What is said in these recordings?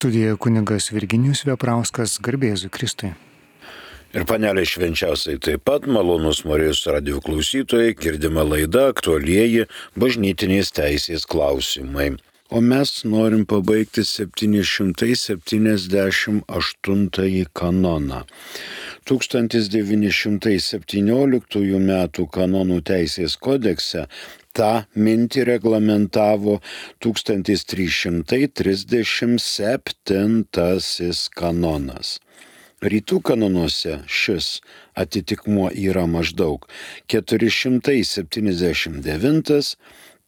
Studijoje kunigas Virginijus Veprauskas, garbė Jėzui Kristui. Ir panelė švenčiausiai taip pat, malonus Marijos radijo klausytojai, girdima laida aktualieji bažnytinės teisės klausimai. O mes norim pabaigti 778 kanoną. 1917 metų kanonų teisės kodekse tą mintį reglamentavo 1337 kanonas. Rytų kanonuose šis atitikmuo yra maždaug 479,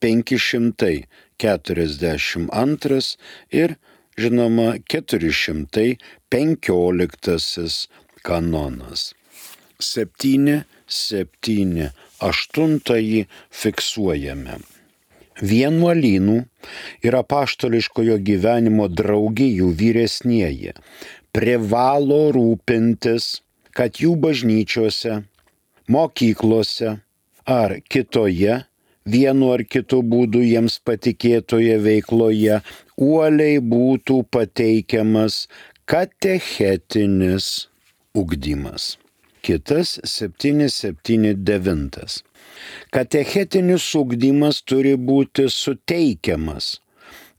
542 ir, žinoma, 415 kanonas. 778 fiksuojame. Vienuolynų ir apaštališkojo gyvenimo draugijų vyresnieji privalo rūpintis, kad jų bažnyčiose, mokyklose ar kitoje vienu ar kitu būdu jiems patikėtoje veikloje uoliai būtų pateikiamas katechetinis ugdymas. Kitas 779. Katechetinis ugdymas turi būti suteikiamas,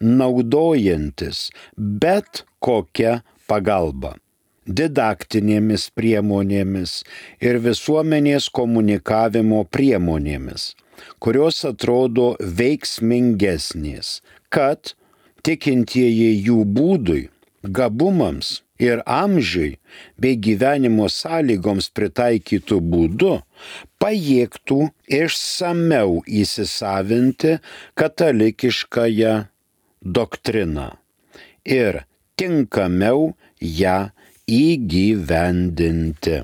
naudojantis bet kokią pagalba, didaktinėmis priemonėmis ir visuomenės komunikavimo priemonėmis, kurios atrodo veiksmingesnės, kad tikintieji jų būdui, gabumams ir amžiui bei gyvenimo sąlygoms pritaikytų būdu pajėgtų išsamiau įsisavinti katalikiškąją doktriną ir tinkamiau ją įgyvendinti.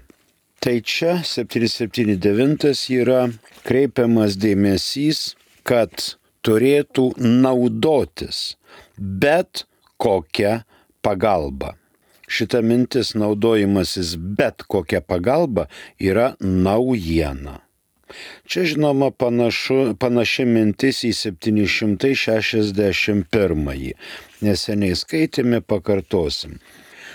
Tai čia 779 yra kreipiamas dėmesys, kad turėtų naudotis bet kokia pagalba. Šita mintis naudojimasis bet kokia pagalba yra naujiena. Čia žinoma panaši mintis į 761. Neseniai skaitėme, pakartosim.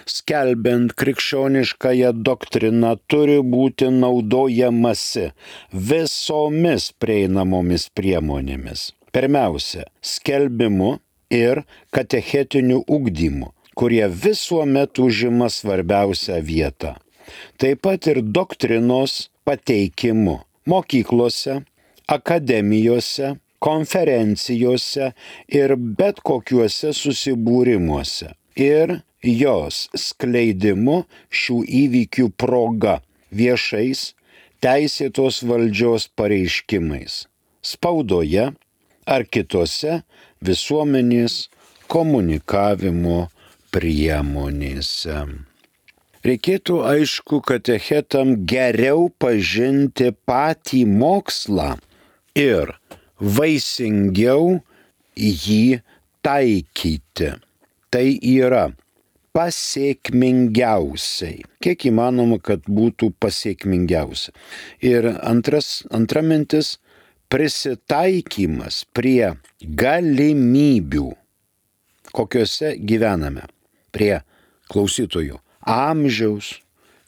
Skelbiant krikščioniškąją doktriną turi būti naudojamasi visomis prieinamomis priemonėmis. Pirmiausia, skelbimu ir katechetiniu ugdymu, kurie visuomet užima svarbiausią vietą. Taip pat ir doktrinos pateikimu mokyklose, akademijose, konferencijose ir bet kokiuose susibūrimuose. Ir jos skleidimu šių įvykių proga viešais teisėtos valdžios pareiškimais, spaudoje ar kitose visuomenės komunikavimo priemonėse. Reikėtų, aišku, katechetam geriau pažinti patį mokslą ir vaisingiau jį taikyti. Tai yra pasėkmingiausiai. Kiek įmanoma, kad būtų pasėkmingiausia. Ir antra mintis - prisitaikymas prie galimybių, kokiuose gyvename, prie klausytojų amžiaus,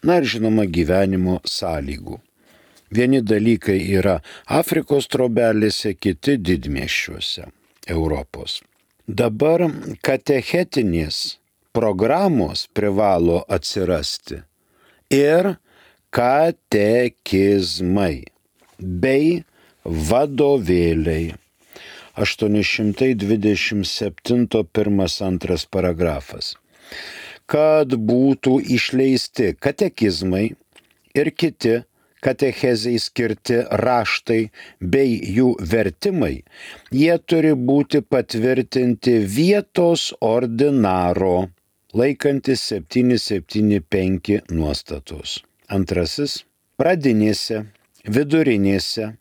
na ir žinoma gyvenimo sąlygų. Vieni dalykai yra Afrikos trobelėse, kiti didmiesčiuose Europos. Dabar katechetinės programos privalo atsirasti ir katekizmai bei vadovėliai. 827 1-2 paragrafas. Kad būtų išleisti katekizmai ir kiti katechezei skirti raštai bei jų vertimai, jie turi būti patvirtinti vietos ordinaro, laikantis 775 nuostatos. Antrasis, pradinėse, vidurinėse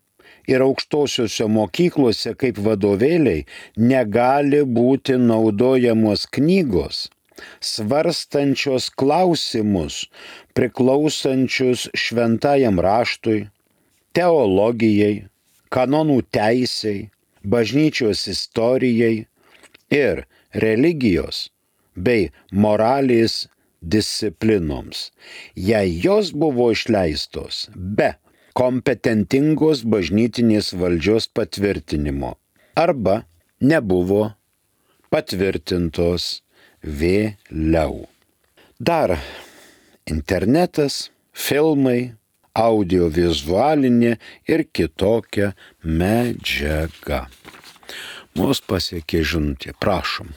ir aukštosiuose mokyklose kaip vadovėliai negali būti naudojamos knygos, svarstančios klausimus priklausančius šventajam raštui, teologijai, kanonų teisei, bažnyčios istorijai ir religijos bei moralės disciplinoms, jei jos buvo išleistos be kompetentingos bažnytinės valdžios patvirtinimo arba nebuvo patvirtintos vėliau. Dar internetas, filmai, audiovizualinė ir kitokia medžiaga. Mus pasiekė žinutė, prašom.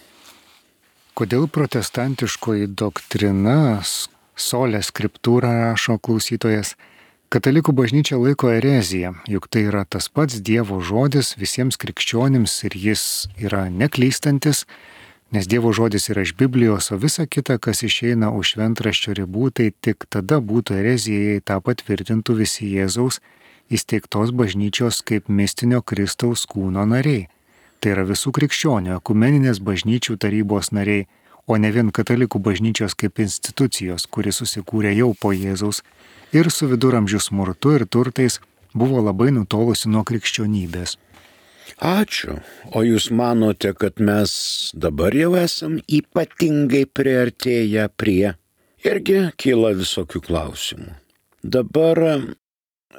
Kodėl protestantiškoji doktrina, sola scriptura, rašo klausytojas, katalikų bažnyčia laiko ereziją, juk tai yra tas pats Dievo žodis visiems krikščionims ir jis yra neklystantis, nes Dievo žodis yra iš Biblijos, o visa kita, kas išeina už šventraščio ribų, tai tik tada būtų erezija, jei tą patvirtintų visi Jėzaus įsteigtos bažnyčios kaip mistinio Kristaus kūno nariai. Tai yra visų krikščionių, ekumeninės bažnyčių tarybos nariai, o ne vien katalikų bažnyčios kaip institucijos, kuri susikūrė jau po Jėzaus ir su viduramžių smurtu ir turtais buvo labai nutolusi nuo krikščionybės. Ačiū. O jūs manote, kad mes dabar jau esam ypatingai priartėję prie? Irgi kyla visokių klausimų. Dabar,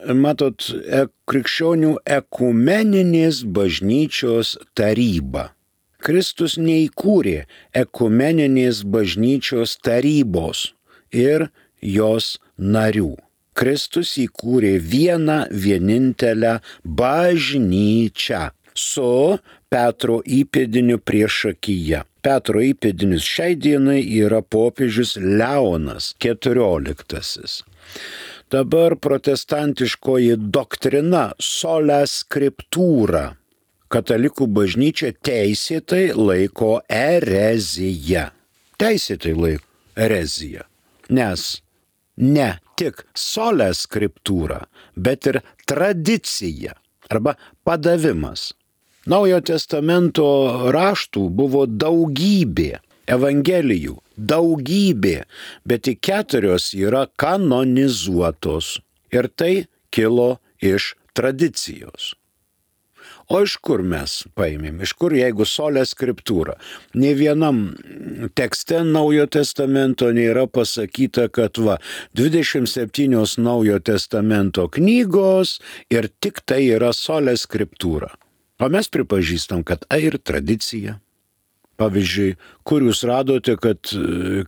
matot, krikščionių ekumeninės bažnyčios taryba. Kristus neįkūrė ekumeninės bažnyčios tarybos ir jos narių. Kristus įkūrė vieną vienintelę bažnyčią su Petro įpėdiniu priešakyje. Petro įpėdinis šiai dienai yra popiežius Leonas XIV. Dabar protestantiškoji doktrina sola scriptura. Katalikų bažnyčia teisėtai laiko ereziją. Teisėtai laiko ereziją. Nes ne tik sola scriptura, bet ir tradicija arba padavimas. Naujojo testamento raštų buvo daugybė, evangelijų daugybė, bet tik 4 yra kanonizuotos. Ir tai kilo iš tradicijos. O iš kur mes paėmėm? Iš kur, jeigu sola scriptura? Nė vienam tekste Naujojo testamento nėra pasakyta, kad 27 Naujojo testamento knygos ir tik tai yra sola scriptura. O mes pripažįstam, kad ir tradicija. Pavyzdžiui, kur jūs radote, kad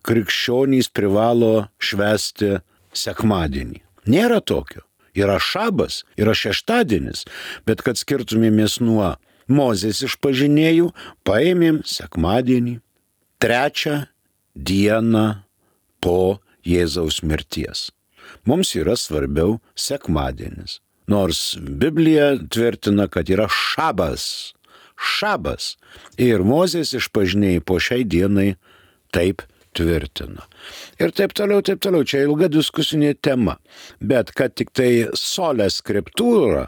krikščionys privalo švęsti sekmadienį? Nėra tokio. Yra šabas, yra šeštadienis, bet kad skirtumėmės nuo Mozės išpažinėjų, paėmėm sekmadienį, 3 dieną po Jėzaus mirties. Mums yra svarbiau sekmadienis, nors Biblija tvirtina, kad yra šabas. Šabas. Ir Mozės išpažinėjai po šiai dienai taip tvirtina. Ir taip toliau. Čia ilga diskusinė tema. Bet kad tik tai sola scriptura,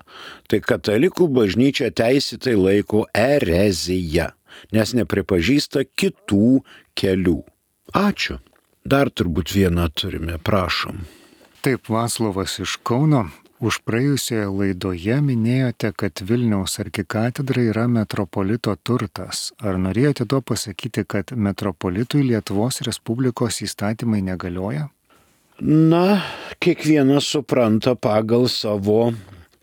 tai katalikų bažnyčia teisėtai laiko ereziją, nes nepripažįsta kitų kelių. Ačiū. Dar turbūt vieną turime, prašom. Taip, Vaclovas iš Kauno. Už praėjusioje laidoje minėjote, kad Vilniaus arkikatedra yra metropolito turtas. Ar norėjote tuo pasakyti, kad metropolitui Lietuvos Respublikos įstatymai negalioja? Na, kiekvienas supranta pagal savo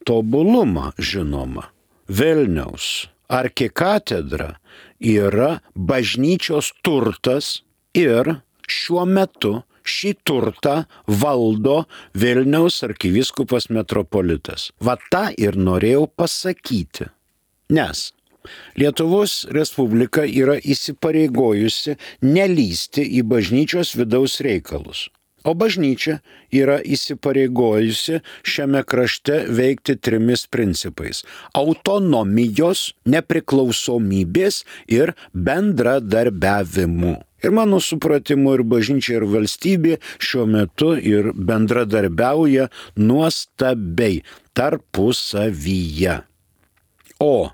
tobulumą, žinoma. Vilniaus arkikatedra yra bažnyčios turtas ir šiuo metu šį turtą valdo Vilniaus arkivyskupas metropolitas. Va tą ir norėjau pasakyti. Nes Lietuvos Respublika yra įsipareigojusi nelįsti į bažnyčios vidaus reikalus. O bažnyčia yra įsipareigojusi šiame krašte veikti 3 principais – autonomijos, nepriklausomybės ir bendradarbiavimu. Ir mano supratimu ir bažnyčia ir valstybė šiuo metu ir bendradarbiauja nuostabiai tarpusavyje. O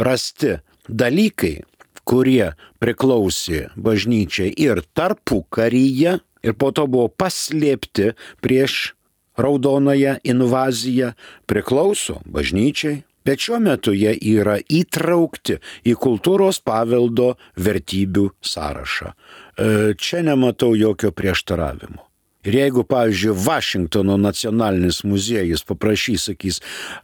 rasti dalykai, kurie priklausė bažnyčiai ir tarpukaryje, ir po to buvo paslėpti prieš raudonąją invaziją, priklauso bažnyčiai, Bet šiuo metu jie yra įtraukti į kultūros paveldo vertybių sąrašą. Čia nematau jokio prieštaravimo. Ir jeigu, pavyzdžiui, Vašingtono nacionalinis muziejus paprašys, sakys,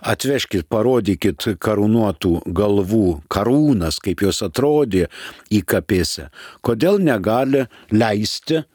atvežkit, parodykit karūnuotų galvų karūnas, kaip jos atrodė į kapėse, kodėl negali leisti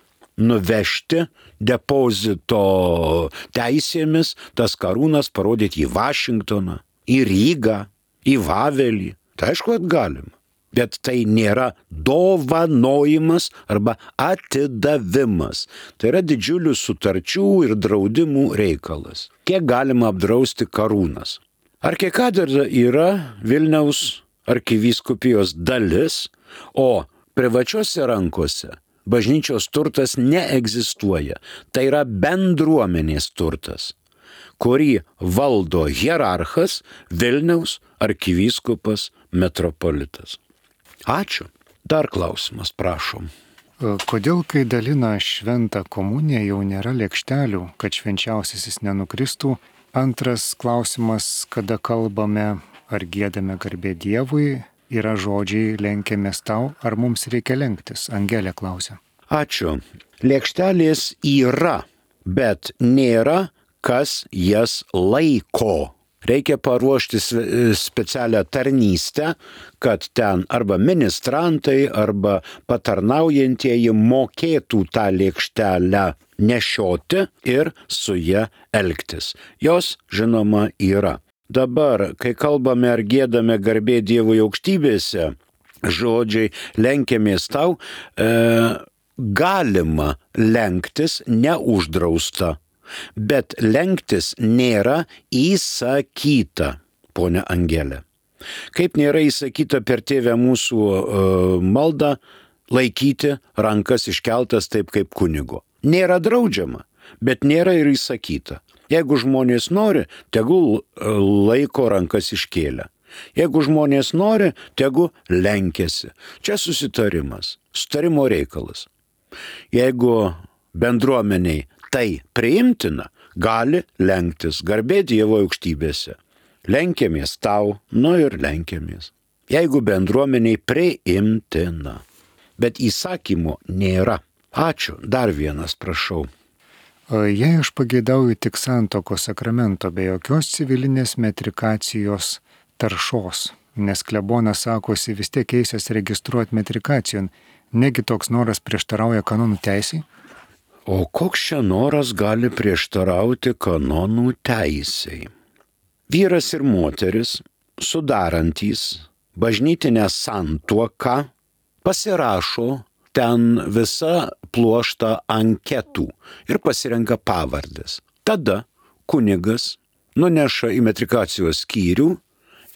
nuvežti depozito teisėmis tas karūnas parodyti į Vašingtoną, į Rygą, į Vavelį? Tai aišku, kad galima. Bet tai nėra dovanojimas arba atidavimas. Tai yra didžiulių sutarčių ir draudimų reikalas. Kiek galima apdrausti karūnas? Arkikatedra yra Vilniaus arkivyskupijos dalis, o privačiose rankose bažnyčios turtas neegzistuoja. Tai yra bendruomenės turtas, kurį valdo hierarchas Vilniaus arkivyskupas metropolitas. Ačiū. Dar klausimas, prašom. Kodėl, kai dalina šventą komuniją, jau nėra lėkštelių, kad švenčiausiasis nenukristų? Antras klausimas, kada kalbame ar giedame garbė Dievui, yra žodžiai lenkiamės tau, ar mums reikia lenktis? Angelė klausia. Ačiū. Lėkštelės yra, bet nėra, kas jas laiko. Reikia paruošti specialią tarnystę, kad ten arba ministrantai, arba patarnaujantieji mokėtų tą lėkštelę nešioti ir su ja elgtis. Jos, žinoma, yra. Dabar, kai kalbame ar giedame garbė Dievui aukštybėse, žodžiai lenkiamės tau, galima lenktis, neuždrausta. Bet lenktis nėra įsakyta, ponia Angelė. Kaip nėra įsakyta per tėvę mūsų maldą laikyti rankas iškeltas taip kaip kunigo. Nėra draudžiama, bet nėra ir įsakyta. Jeigu žmonės nori, tegul laiko rankas iškėlę. Jeigu žmonės nori, tegul lenkiasi. Čia susitarimas, sutarimo reikalas. Jeigu bendruomeniai tai priimtina, gali lenktis garbė Dievo aukštybėse. Lenkiamės tau, ir lenkiamės. Jeigu bendruomeniai priimtina, bet įsakymo nėra. Ačiū. Dar vienas, prašau. Jei aš pageidauju tik santuokos sakramento be jokios civilinės metrikacijos taršos, nes klebonas sakosi vis tiek eisias registruoti metrikacijon, negi toks noras prieštarauja kanonų teisei? O koks čia noras gali prieštarauti kanonų teisei? Vyras ir moteris, sudarantys bažnytinę santuoką, pasirašo ten visą pluoštą anketų ir pasirenka pavardės. Tada kunigas nuneša į metrikacijos skyrių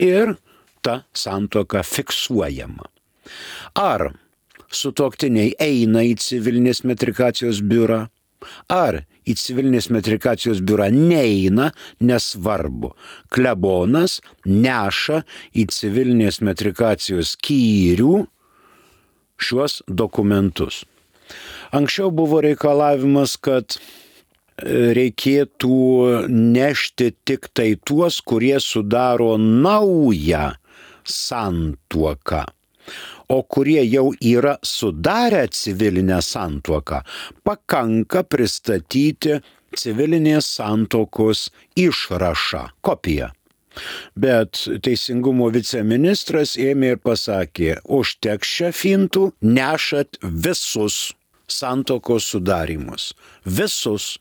ir ta santuoka fiksuojama. Ar sutuoktiniai eina į civilinės metrikacijos biurą, ar į civilinės metrikacijos biurą neina, nesvarbu. Klebonas neša į civilinės metrikacijos skyrių šiuos dokumentus. Anksčiau buvo reikalavimas, kad reikėtų nešti tik tai tuos, kurie sudaro naują santuoką. O kurie jau yra sudarę civilinę santuoką, pakanka pristatyti civilinės santuokos išrašą, kopiją. Bet Teisingumo viceministras ėmė ir pasakė, užteks čia fintų, nešat visus santuokos sudarimus. Visus.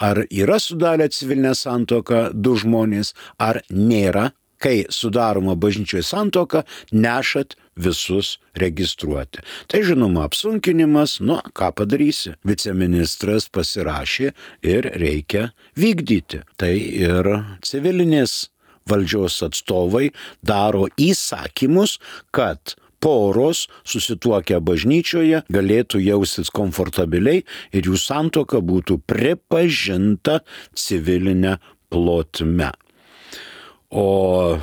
Ar yra sudarę civilinę santuoką du žmonės, ar nėra? Kai sudaroma bažnyčioje santuoka, nešat visus registruoti. Tai žinoma apsunkinimas, ką padarysi. Viceministras pasirašė ir reikia vykdyti. Tai ir civilinės valdžios atstovai daro įsakymus, kad poros susituokę bažnyčioje galėtų jaustis komfortabiliai ir jų santuoka būtų pripažinta civilinė plotme. O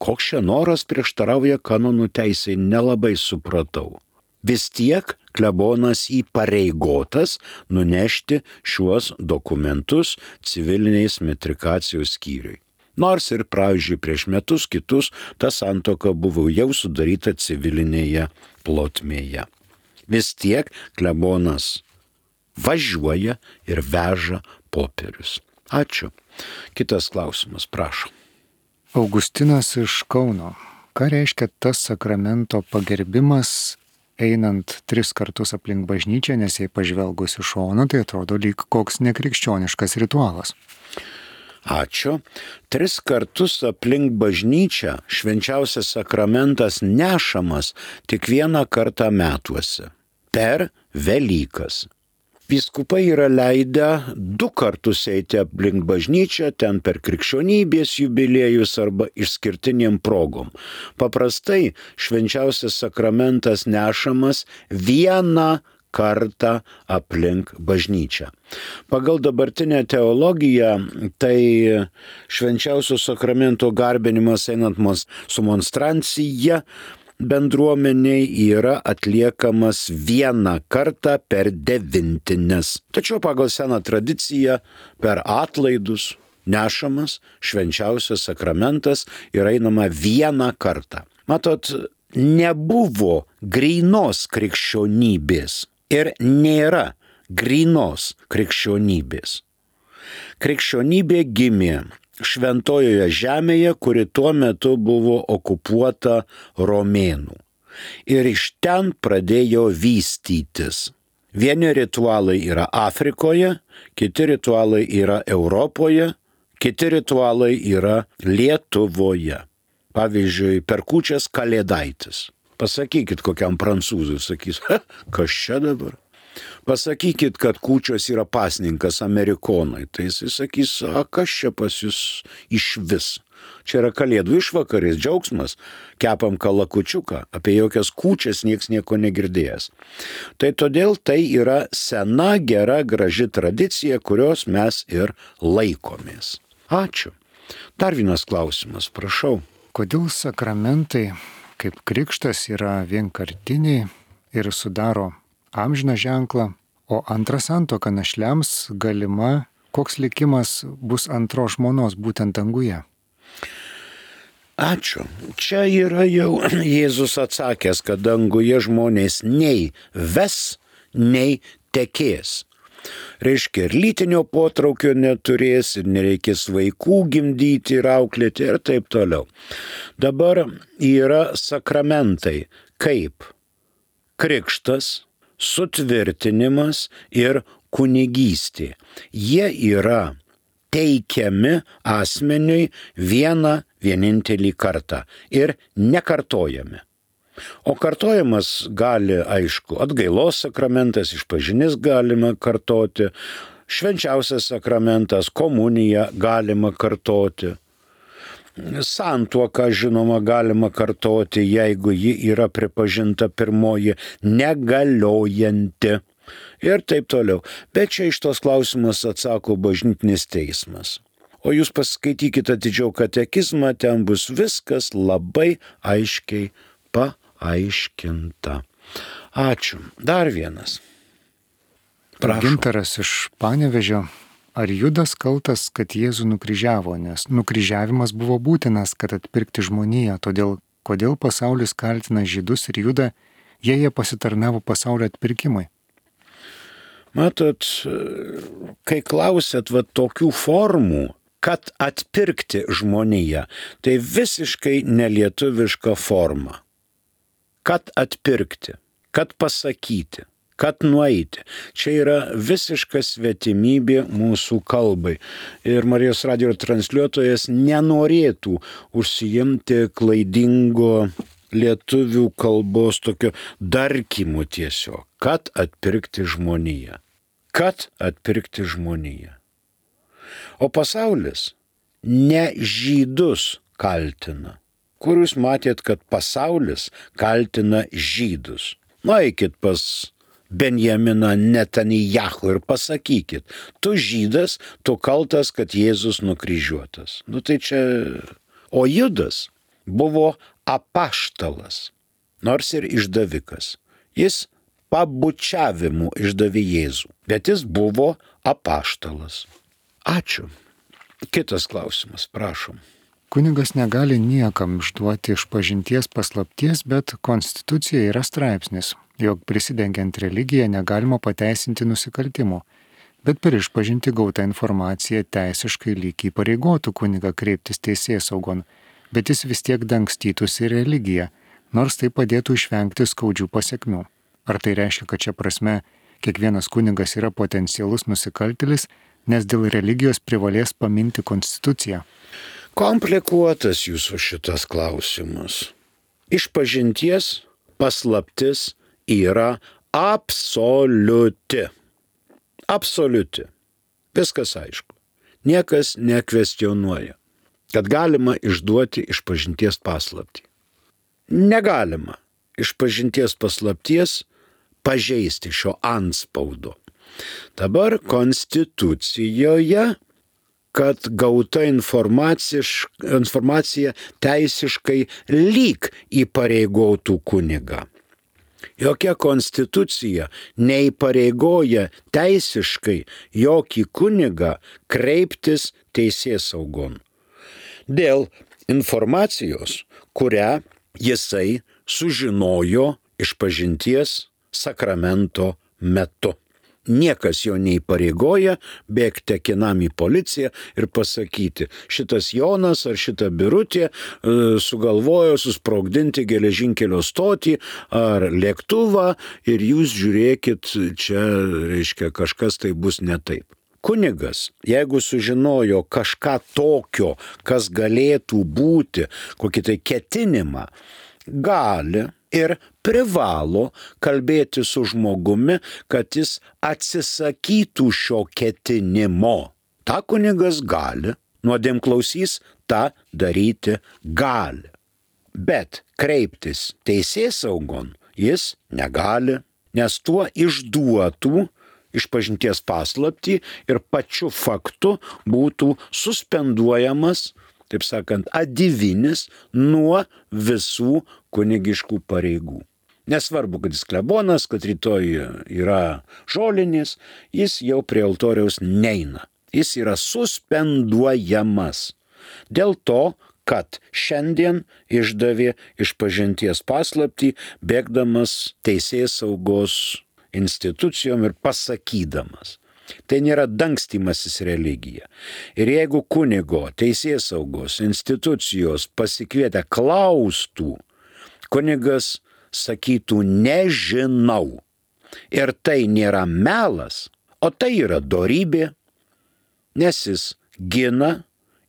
koks čia noras prieštarauja kanonų teisei, nelabai supratau. Vis tiek klebonas įpareigotas nunešti šiuos dokumentus civilinės metrikacijos skyriui. Nors ir, pavyzdžiui, prieš metus kitus ta santuoka buvo jau sudaryta civilinėje plotmėje. Vis tiek klebonas važiuoja ir veža popierius. Ačiū. Kitas klausimas, prašau. Augustinas iš Kauno. Ką reiškia tas sakramento pagerbimas einant 3 kartus aplink bažnyčią, nes jei pažvelgus iš šono, tai atrodo lyg koks nekrikščioniškas ritualas. Ačiū. 3 kartus aplink bažnyčią švenčiausias sakramentas nešamas tik 1 kartą metuose per Velykas. Vyskupai yra leidę 2 kartus eiti aplink bažnyčią, ten per krikščionybės jubiliejus arba išskirtinėm progom. Paprastai švenčiausias sakramentas nešamas 1 kartą aplink bažnyčią. Pagal dabartinę teologiją, tai švenčiausio sakramento garbinimas einant su monstrancija bendruomeniai yra atliekamas 1 kartą per 9. Tačiau pagal seną tradiciją per atlaidus nešamas švenčiausias sakramentas ir einama 1 kartą. Matot, nebuvo grynos krikščionybės ir nėra grynos krikščionybės. Krikščionybė gimė Šventojoje žemėje, kuri tuo metu buvo okupuota romėnų. Ir iš ten pradėjo vystytis. Vieni ritualai yra Afrikoje, kiti ritualai yra Europoje, kiti ritualai yra Lietuvoje. Pavyzdžiui, per kūčias Kalėdaitis. Pasakykit kokiam prancūzui, sakys, kas čia dabar? Pasakykit, kad kūčios yra pasninkas Amerikonai. Tai jis sakys, kas čia pas jūs iš vis? Čia yra kalėdų išvakarės, džiaugsmas, kepam kalakučiuką, apie jokias kūčias nieks nieko negirdėjęs. Tai todėl tai yra sena, gera, graži tradicija, kurios mes ir laikomės. Ačiū. Dar vienas klausimas, prašau. Kodėl sakramentai, kaip krikštas, yra vienkartiniai ir sudaro amžiną ženklą, o antra santuoka našliams galima, koks likimas bus antros žmonos būtent danguje? Ačiū. Čia yra jau Jėzus atsakęs, kad danguje žmonės nei ves, nei tekės. Reiškia, ir lytinio potraukio neturės, ir nereikės vaikų gimdyti ir auklėti ir taip toliau. Dabar yra sakramentai kaip krikštas, sutvirtinimas ir kunigystė. Jie yra teikiami asmeniui vienintelį kartą ir nekartojami. O kartojimas gali, aišku, atgailos sakramentas, išpažinis galima kartoti, švenčiausias sakramentas, komuniją galima kartoti. Santuoką, žinoma, galima kartoti, jeigu ji yra pripažinta pirmoji negaliojanti ir taip toliau. Bet čia iš tos klausimus atsako bažnytinis teismas. O jūs paskaitykite atidžiau katekizmą, ten bus viskas labai aiškiai paaiškinta. Ačiū. Dar vienas. Prašau. Gintaras iš Panevėžio. Ar Judas kaltas, kad Jėzų nukryžiavo, nes nukryžiavimas buvo būtinas, kad atpirkti žmoniją, todėl kodėl pasaulis kaltina Žydus ir Judą, jei jie pasitarnavo pasaulio atpirkimui? Matot, kai klausėt tokių formų, kad atpirkti žmoniją, tai visiškai nelietuviška forma. Kad atpirkti, kad pasakyti, kad nueiti. Čia yra visiška svetimybė mūsų kalbai. Ir Marijos radijo transliuotojas nenorėtų užsiimti klaidingo lietuvių kalbos tokio darkymo tiesiog. Kad atpirkti žmoniją. Kad atpirkti žmoniją. O pasaulis ne žydus kaltina. Kur jūs matėt, kad pasaulis kaltina žydus? Nueikit pas Benjaminą Netanjahu ir pasakykit, tu žydas, tu kaltas, kad Jėzus nukryžiuotas. Tai čia... O Judas buvo apaštalas, nors ir išdavikas. Jis pabučiavimu išdavė Jėzų, bet jis buvo apaštalas. Ačiū. Kitas klausimas, prašom. Kunigas negali niekam išduoti išpažinties paslapties, bet Konstitucijoje yra straipsnis, jog prisidengiant religiją negalima pateisinti nusikaltimų, bet per išpažinti gautą informaciją teisiškai lyg įpareigotų kunigą kreiptis teisėsaugon, bet jis vis tiek dangstytųsi religiją, nors tai padėtų išvengti skaudžių pasekmių. Ar tai reiškia, kad šia prasme kiekvienas kunigas yra potencialus nusikaltėlis, nes dėl religijos privalės paminti Konstituciją? Komplikuotas jūsų šitas klausimas. Išpažinties paslaptis yra absoliuti. Absoliuti. Viskas aišku. Niekas nekvestionuoja, kad galima išduoti išpažinties paslaptį. Negalima išpažinties paslapties pažeisti šio antspaudo. Dabar Konstitucijoje, kad gauta informacija teisiškai lyg įpareigotų kunigą. Jokia konstitucija neįpareigoja teisiškai jokį kunigą kreiptis teisėsaugon dėl informacijos, kurią jisai sužinojo išpažinties sakramento metu. Niekas jo neįpareigoja bėgti akinam į policiją ir pasakyti, šitas Jonas ar šita Birutė sugalvojo susprogdinti geležinkelio stotį ar lėktuvą ir jūs žiūrėkit, čia, reiškia, kažkas tai bus ne taip. Kunigas, jeigu sužinojo kažką tokio, kas galėtų būti, kokį tai ketinimą, gali ir privalo kalbėti su žmogumi, kad jis atsisakytų šio ketinimo. Ta kunigas gali, nuodėmklausys tą daryti gali. Bet kreiptis teisėsaugon jis negali, nes tuo išduotų išpažinties paslaptį ir pačiu faktu būtų suspenduojamas, taip sakant, adivinis nuo visų kunigiškų pareigų. Nesvarbu, kad jis klebonas, kad rytoj yra žolinis, jis jau prie altoriaus neina. Jis yra suspenduojamas. Dėl to, kad šiandien išdavė išpažinties paslaptį, bėgdamas teisėsaugos institucijom ir pasakydamas. Tai nėra dangstymasis religija. Ir jeigu kunigo teisėsaugos institucijos pasikvietę klaustų, kunigas sakytų nežinau. Ir tai nėra melas, o tai yra dorybė, nes jis gina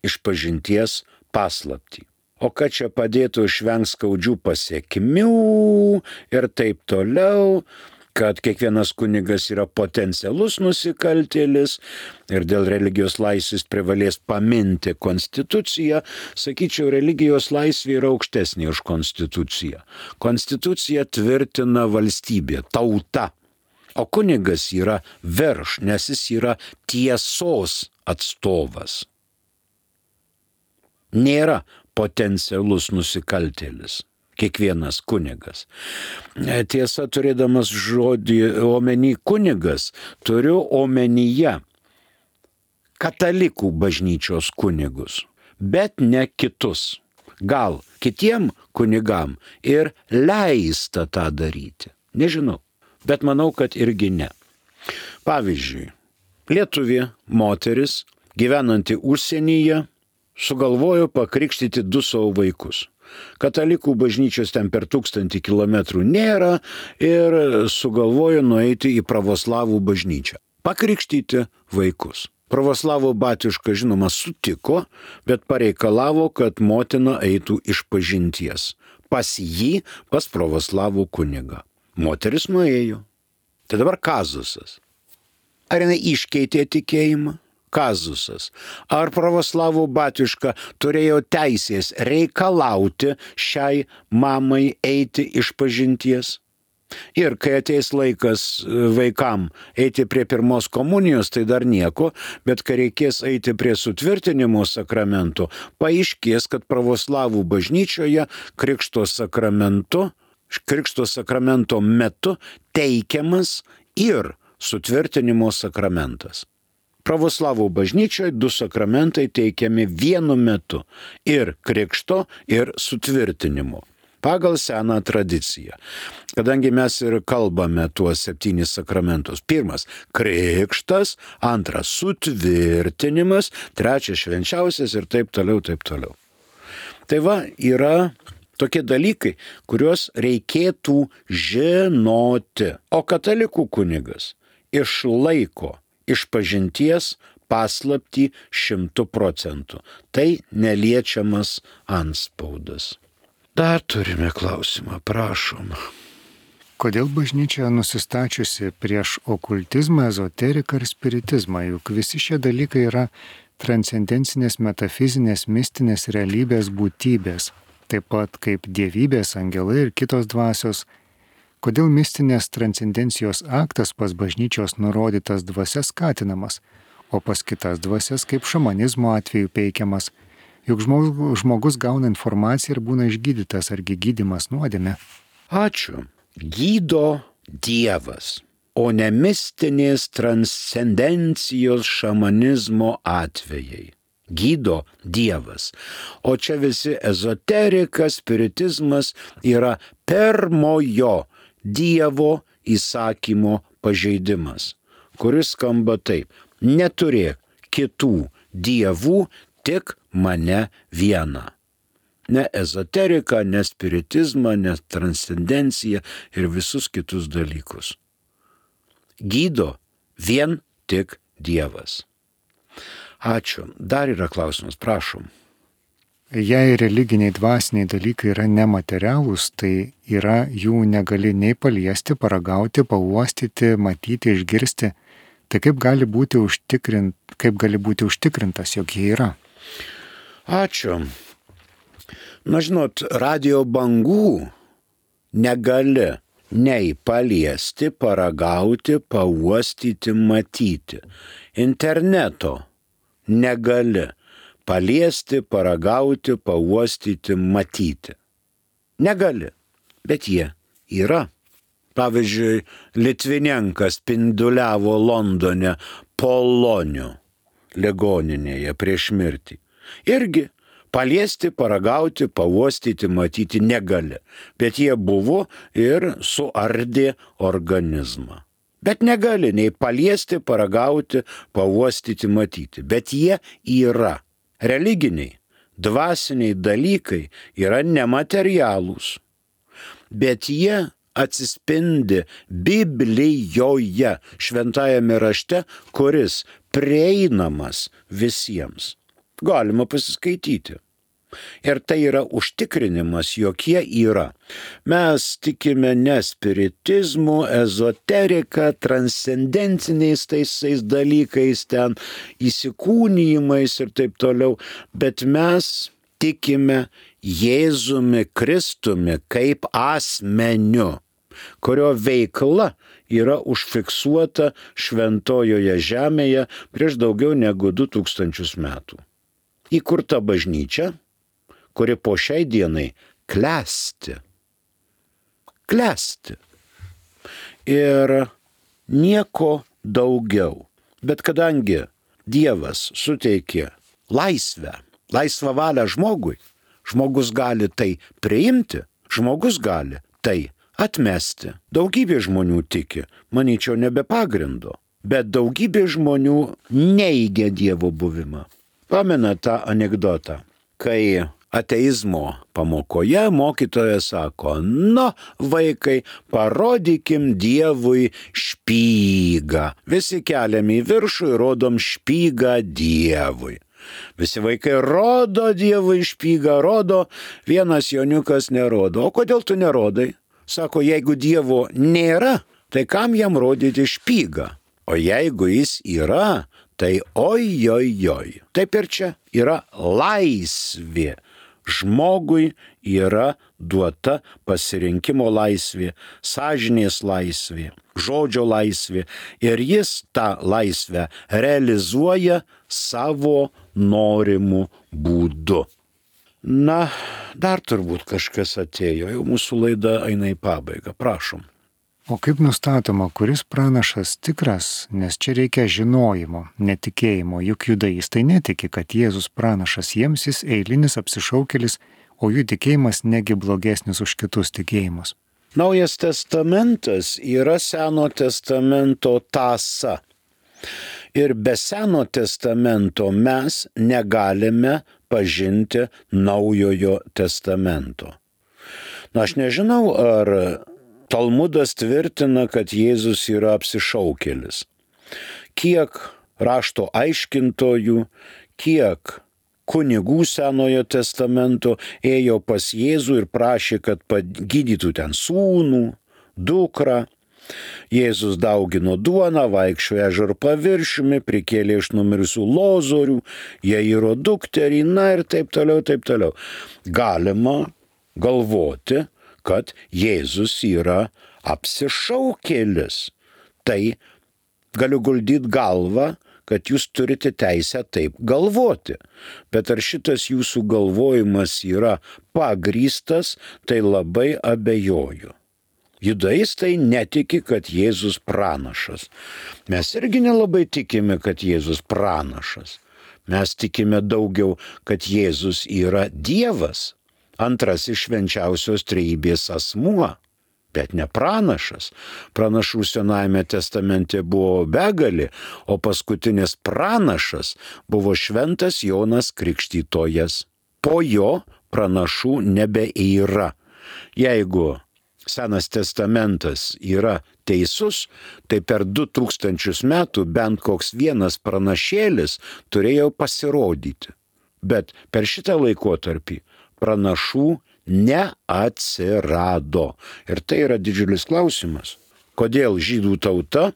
išpažinties paslaptį. O kad čia padėtų išvengti skaudžių pasekmių ir taip toliau, kad kiekvienas kunigas yra potencialus nusikaltėlis ir dėl religijos laisvės privalės paminti konstituciją, sakyčiau, religijos laisvė yra aukštesnė už konstituciją. Konstitucija tvirtina valstybė, tauta, o kunigas yra virš, nes jis yra tiesos atstovas. Nėra potencialus nusikaltėlis. Kiekvienas kunigas. Tiesa, turėdamas žodį omeny kunigas, turiu omenyje katalikų bažnyčios kunigus, bet ne kitus. Gal kitiem kunigam ir leista tą daryti. Nežinau, bet manau, kad irgi ne. Pavyzdžiui, lietuvė moteris, gyvenanti užsienyje, sugalvojo pakrikštyti 2 savo vaikus. Katalikų bažnyčios ten per 1000 kilometrų nėra ir sugalvojo nueiti į pravoslavų bažnyčią. Pakrikštyti vaikus. Pravoslavų batiuška, žinoma, sutiko, bet pareikalavo, kad motina eitų išpažinties. Pas jį, pas pravoslavų kunigą. Moteris nuėjo. Tai dabar kazusas. Ar jinai iškeitė tikėjimą? Kazusas. Ar pravoslavų batiuška turėjo teisės reikalauti šiai mamai eiti išpažinties? Ir kai ateis laikas vaikam eiti prie pirmos komunijos, tai dar nieko, bet kai reikės eiti prie sutvirtinimo sakramento, paaiškės, kad pravoslavų bažnyčioje krikšto sakramento metu teikiamas ir sutvirtinimo sakramentas. Pravoslavų bažnyčioje 2 sakramentai teikiami vienu metu - ir krikšto, ir sutvirtinimo. Pagal seną tradiciją. Kadangi mes ir kalbame tuos 7 sakramentus. 1 - krikštas, 2 - sutvirtinimas, 3 - švenčiausias ir taip toliau, taip toliau. Tai va, yra tokie dalykai, kuriuos reikėtų žinoti. O katalikų kunigas išlaiko išpažinties paslaptį 100%. Tai neliečiamas antspaudas. Dar turime klausimą, prašom. Kodėl bažnyčia nusistačiusi prieš okultizmą, ezoteriką ir spiritizmą, juk visi šie dalykai yra transcendencinės, metafizinės, mistinės realybės būtybės, taip pat kaip dievybės, angelai ir kitos dvasios. Kodėl mistinės transcendencijos aktas pas bažnyčios nurodytas dvasias skatinamas, o pas kitas dvasias kaip šamanizmo atveju peikiamas? Juk žmogus gauna informaciją ir būna išgydytas, argi gydymas nuodėmė. Ačiū. Gydo Dievas, o ne mistinės transcendencijos šamanizmo atvejai. Gydo Dievas. O čia visi ezoterika, spiritizmas yra pirmojo Dievo įsakymo pažeidimas, kuris skamba taip: neturėk kitų dievų, tik mane vieną. Ne ezoteriką, ne spiritizmą, ne transcendenciją ir visus kitus dalykus. Gydo vien tik Dievas. Ačiū. Dar yra klausimas, prašom. Jei religiniai dvasiniai dalykai yra nematerialūs, tai yra jų negali nei paliesti, paragauti, pauostyti, matyti, išgirsti. Tai kaip gali būti užtikrintas, jog jie yra? Ačiū. Na, žinot, radio bangų negali nei paliesti, paragauti, pauostyti, matyti. Interneto negali paliesti, paragauti, pauostyti, matyti. Negali, bet jie yra. Pavyzdžiui, Litvinenkas spinduliavo Londone Polonių ligoninėje prieš mirtį. Irgi paliesti, paragauti, pauostyti, matyti negali. Bet jie buvo ir suardė organizmą. Bet negali nei paliesti, paragauti, pauostyti, matyti. Bet jie yra. Religiniai, dvasiniai dalykai yra nematerialūs. Bet jie atsispindi Biblijoje, šventajame rašte, kuris prieinamas visiems. Galima pasiskaityti. Ir tai yra užtikrinimas, jog jie yra. Mes tikime ne spiritizmu, ezoterika, transcendenciniais taisais dalykais, ten įsikūnijimais ir taip toliau, bet mes tikime Jėzumi Kristumi kaip asmeniu, kurio veikla yra užfiksuota šventojoje žemėje prieš daugiau negu 2000 metų. Įkurta bažnyčia, kuri po šiai dienai klesti. Klesti. Ir nieko daugiau. Bet kadangi Dievas suteikė laisvą valią žmogui, žmogus gali tai priimti, žmogus gali tai atmesti. Daugybė žmonių tiki, manyčiau, ne be pagrindo, bet daugybė žmonių neigia Dievo buvimą. Pamena tą anekdotą, kai ateizmo pamokoje mokytojas sako: nu, vaikai, parodykim Dievui špygą. Visi keliam į viršų ir rodom špygą Dievui. Visi vaikai rodo Dievui špygą, rodo, vienas joniukas nerodo. O kodėl tu nerodai? Sako, jeigu Dievo nėra, tai kam jam rodyti špygą? O jeigu jis yra, tai oi. Taip ir čia yra laisvė. Žmogui yra duota pasirinkimo laisvė, sąžinės laisvė, žodžio laisvė ir jis tą laisvę realizuoja savo norimų būdu. Na, dar turbūt kažkas atėjo, jau mūsų laida eina į pabaigą, prašom. O kaip nustatoma, kuris pranašas tikras, nes čia reikia žinojimo, netikėjimo, juk judaistai netiki, kad Jėzus pranašas, jiems jis eilinis apsišaukėlis, o jų tikėjimas negi blogesnis už kitus tikėjimus. Naujas testamentas yra Seno testamento tąsa. Ir be Seno testamento mes negalime pažinti Naujojo testamento. Aš nežinau, ar Talmudas tvirtina, kad Jėzus yra apsišaukėlis. Kiek rašto aiškintojų, kiek kunigų Senojo testamento ėjo pas Jėzų ir prašė, kad pagydytų ten sūnų, dukrą. Jėzus daugino duoną, vaikščiojo ežero paviršiumi, prikėlė iš numirusių Lozorių, Jairo dukterį, ir taip toliau, taip toliau. Galima galvoti, kad Jėzus yra apsišaukėlis. Tai galiu guldyti galvą, kad jūs turite teisę taip galvoti. Bet ar šitas jūsų galvojimas yra pagrįstas, tai labai abejoju. Judaistai netiki, kad Jėzus pranašas. Mes irgi nelabai tikime, kad Jėzus pranašas. Mes tikime daugiau, kad Jėzus yra Dievas, antrasis švenčiausios trejybės asmuo, bet ne pranašas. Pranašų Senajame testamente buvo begalė, o paskutinis pranašas buvo šventas Jonas Krikštytojas. Po jo pranašų nebeyra. Jeigu Senas testamentas yra teisus, tai per 2000 metų bent koks vienas pranašėlis turėjo pasirodyti. Bet per šitą laikotarpį pranašų neatsirado. Ir tai yra didžiulis klausimas. Kodėl žydų tauta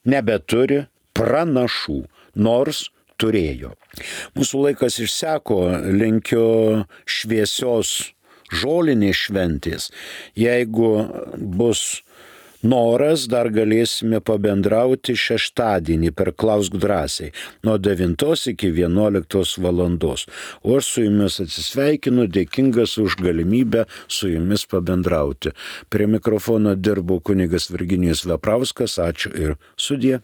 nebeturi pranašų, nors turėjo. Mūsų laikas išseko, linkiu šviesios žolinės šventės. Jeigu bus noras, dar galėsime pabendrauti šeštadienį per Klausk drąsiai nuo 9 iki 11 valandos. O aš su jumis atsisveikinu, dėkingas už galimybę su jumis pabendrauti. Prie mikrofono dirbo kunigas Virginijus Veprauskas. Ačiū ir sudie.